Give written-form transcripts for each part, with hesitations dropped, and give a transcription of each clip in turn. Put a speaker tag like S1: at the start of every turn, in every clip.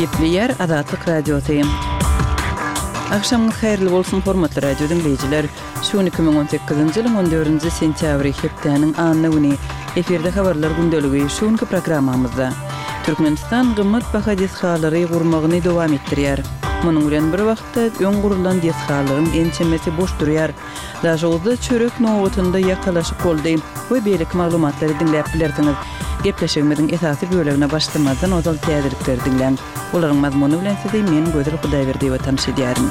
S1: Gepleýär Azatlyk Radiosy. Agşamyňyz haýyrly bolsun, hormatly radio diňleýjiler! Şu gün 2018-nji ýylyň 14-nji sentýabry, hepdäniň anna güni. Efirde habarlar gündeligi şu günki programmamyzda. Türkmenistan gymmat baha desgalary gurmagyny dowam etdirýär. Munuň bilen bir wagtda öň gurlan desgalaryň ençemesi boş durýar. Daşoguzda çörek nobatynda ýakalaşyk boldy we beýleki maglumatlary diňläp bilersiňiz. Gepleşigimiziň esasy bölegine başlamazdan ozal täzelikleri diňläň. Olaryň mazmuny bilen sizi men Gözel Hudaýberdiýewa tanyş edýärin.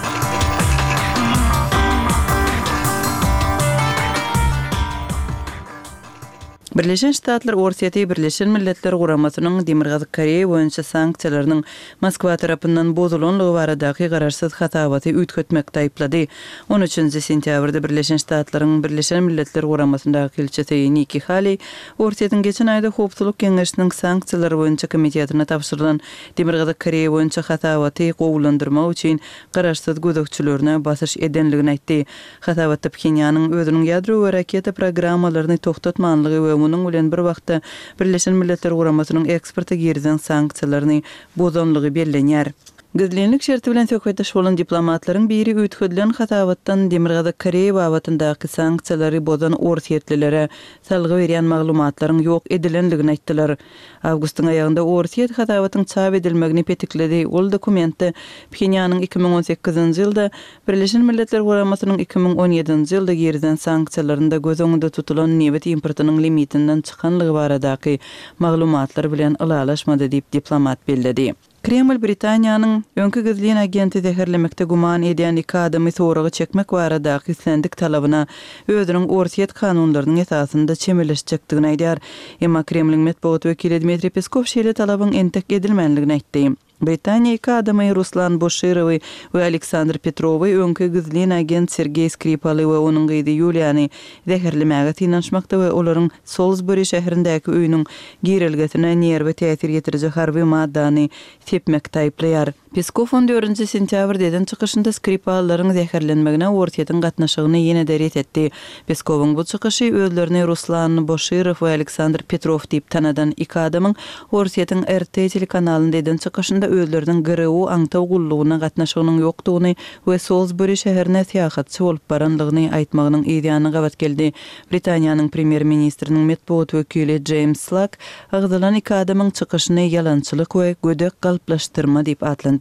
S1: Birleşen Ştatlar Orsýeti Birleşen Milletler Guramasynyň Demirgazyk Koreýa boýunça sanksiýalarynyň Moskwa tarapyndan bozulanlygy baradaky garaşsyz hasabaty üýtgetmekde aýyplady. On üçünji sentýabrda Birleşen Ştatlaryň Birleşen Milletler Guramasyndaky ilçisi Nikki Haley Orsýetiň geçen aýda Howpsuzlyk Geňeşiniň sanksiýalar boýunça komitetine tabşyrylan Demirgazyk Koreýa boýunça hasabaty gowulandyrmak üçin garaşsyz gözegçilerine basyş edenligini aýtdy. Hasabatda Phenýanyň özüniň ýadro we raketa programmalaryny togtatmanlygy we munuň bilen bir wagtda Birleşen Milletler Guramasynyň eksporta girizen sanksiýalaryny bozanlygy bellenýär. Gizlinlik şerti bilen söhbetdeş bolan diplomatlaryň biri üýtgedilen hasabatdan Demirgazyk Koreýa babatyndaky sanksiýalary bozan orsýetlilere salgy berýän maglumatlaryň ýok edilenligini aýtdylar. Awgustyň aýagynda Orsýet hasabatyň çap edilmegini petikledi, ol dokumentde Phenýanyň 2018-nji ýylda Birleşen Milletler Guramasynyň 2017-nji ýylda girizen sanksiýalarynda göz öňünde tutulan nebit importynyň limitinden çykanlygy baradaky maglumatlar bilen ylalaşmady diýip, diplomat belledi. Kreml Britaniýanyň öňki gizlin agenti zäherlemekde güman edýän iki adamy soraga çekmek baradaky islendik talabyna özüniň Orsýet kanunlarynyň esasynda çemeleşjekdigini aýdýar. Emma Kremliň metbugat wekili Dmitriý Peskow şeýle talabyň entek edilmänligini aýtdy. Britaniýa iki adamy, Ruslan Boşirowy we Aleksandr Petrowy öňki gizlin agent Sergeý Skripaly we onuň gyzy Ýuliýany zäherlemäge synanyşmakda we olaryň Solsbury şäherindäki öýüniň girelgesine nerwe täsir ýetiriji harby maddany sepmekde aýyplaýar. Peskow on dördünji sentýabrda eden çykyşynda Skripallaryň zäherlenmegine Orsýetiň gatnaşygyny ýene-de ret etdi. Peskowyň bu çykyşy özlerini Ruslan Boşirow we Aleksandr Petrow diýip tanadan iki adamyň Orsýetiň RT telekanalynda eden çykyşynda özleriniň GRU aňtaw gullugyna gatnaşygynyň ýokdugyny we Solsbury şäherine syýahatçy bolup baranlygyny aýtmagynyň yzýany gabat geldi. Britaniýanyň premýer-ministriniň metbugat wekili Jeýms Slak agzalan iki adamyň çykyşyny ýalançylyk we gödek galplaşdyrma diýip atlandyrdy.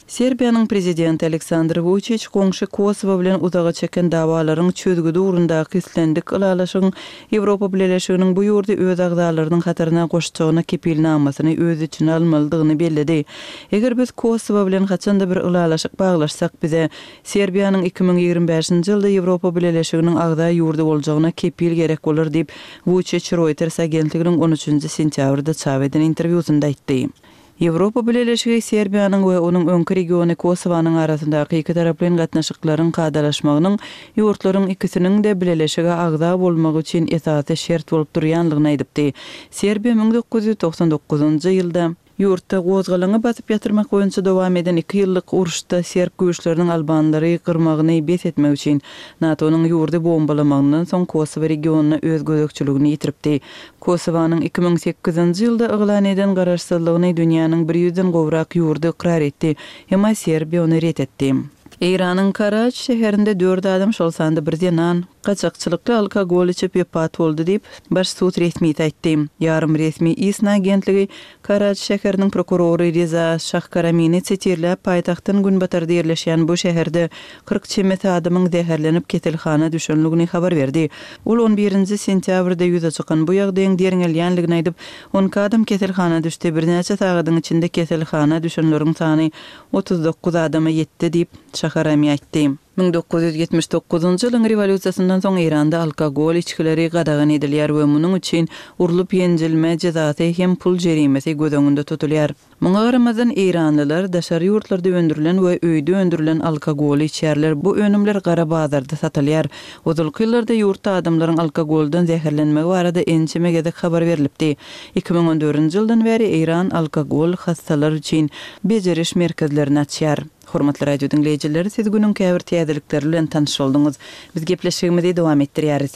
S1: Serbiýanyň prezidenti Aleksandr Wuçiç goňşy Kosowo bilen uzaga çeken dawalaryň çözgüdi ugrundaky islendik ylalaşygyň Ýewropa Bileleşiginiň bu ýurdy öz agzalarynyň hataryna goşjagyna kepilnamasyny öz içine almalydygyny belledi. Eger biz Kosowo bilen haçan-da bir ylalaşyk baglaşsak, bize Serbiýanyň 2025-nji ýylda Ýewropa Bileleşiginiň agza ýurdy boljagyna kepil gerek bolar diýip, Wuçiç Reuters agentliginiň on üçünji sentýabrda çap eden interwýusynda aýtdy. Ýewropa Bileleşigi Serbiýanyň we onuň öňki regiony Kosowanyň arasyndaky ikitaraplaýyn gatnaşyklaryň kadalaşmagynyň ýurtlaryň ikisiniň-de bileleşige agza bolmagy üçin esasy şert bolup durýanlygyny aýdypdy. Serbiýa 1999-njy ýylda, ýurtda gozgalaňy basyp ýatyrmak boýunça dowam eden iki ýyllyk uruşda serb güýçleriniň albanlary gyrmagyny bes etmek üçin NATO-nyň ýurdy bombalamagyndan soň Kosowa regionyna öz gözegçiligini ýitiripdi. Kosowanyň 2008-nji ýylda yglan eden garaşsyzlygyny dünýäniň bir ýüzden gowrak ýurdy ykrar etdi, emma Serbiýa ony ret etdi. Eýranyň Karaj şäherinde dört adam, şol sanda bir zenan, gaçakçylykly alkogol içip wepat boldy diýip, baş sud resmisi aýtdy. Ýarym resmi ISNA agentligi Karaj şäheriniň prokurory Reza Şahkaramini sitirläp, paýtagtdan günbatarda ýerleşýän bu şäherde 40 çemesi adamyň zäherlenip keselhana düşenligini habar berdi. Ol on birinji sentýabrda ýüze çykan bu ýagdaýyň derňelýänligini aýdyp, on iki adam keselhana düşdi, birnäçe sagadyň içinde keselhana düşenleriň sany 39 adama ýetdi diýip, Şaharami aýtdy. 1979-njy ýylyň rewolýusiýasyndan soň Eýranda alkogol içgileri gadagan edilýär we munuň üçin urlup-ýenjilme jezasy hem pul jerimesi göz öňünde tutulýar. Muňa garamazdan, eýranlylar daşary ýurtlarda öndürilen we öýde öndürilen alkogoly içýärler, bu önümler gara bazarda satylýar. Ozalky ýyllarda ýurtda adamlaryň alkogoldan zäherlenmegi barada ençeme gezek habar berlipdi. 2014-nji ýyldan bäri Eýran alkogol hassalar üçin bejeriş merkezlerini açýar. Hormatly radio diňleýjiler, siz günüň käbir täzelikleri bilen tanyş bolduňyz. Biz gepleşigimizi dowam etdirýäris.